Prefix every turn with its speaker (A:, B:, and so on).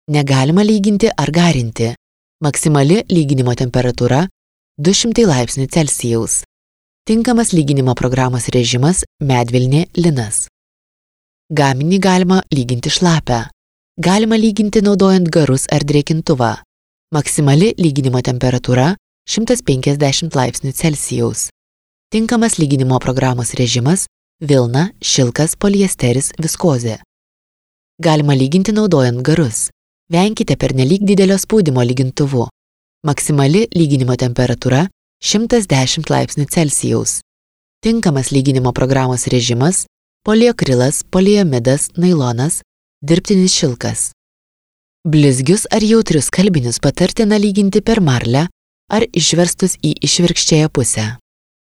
A: Negalima lyginti ar garinti. Maksimali lyginimo temperatūra 200 laipsnių Celsijaus. Tinkamas lyginimo programos režimas medvilnė linas. Gaminį galima lyginti šlapę. Galima lyginti naudojant garus ar drėkintuvą. Maksimali lyginimo temperatūra 150 laipsnių Celsijaus. Tinkamas lyginimo programos režimas vilna, šilkas, poliesteris, viskozė. Galima lyginti naudojant garus. Venkite pernelyg didelio spaudimo lygintuvu. Maksimali lyginimo temperatūra 110 laipsnių Celsijaus. Tinkamas lyginimo programos režimas poliakrilas, poliamidas, nailonas, dirbtinis šilkas. Blizgius ar jautrius skalbinius patartina lyginti per marlę ar išverstus į išvirkščiąją pusę.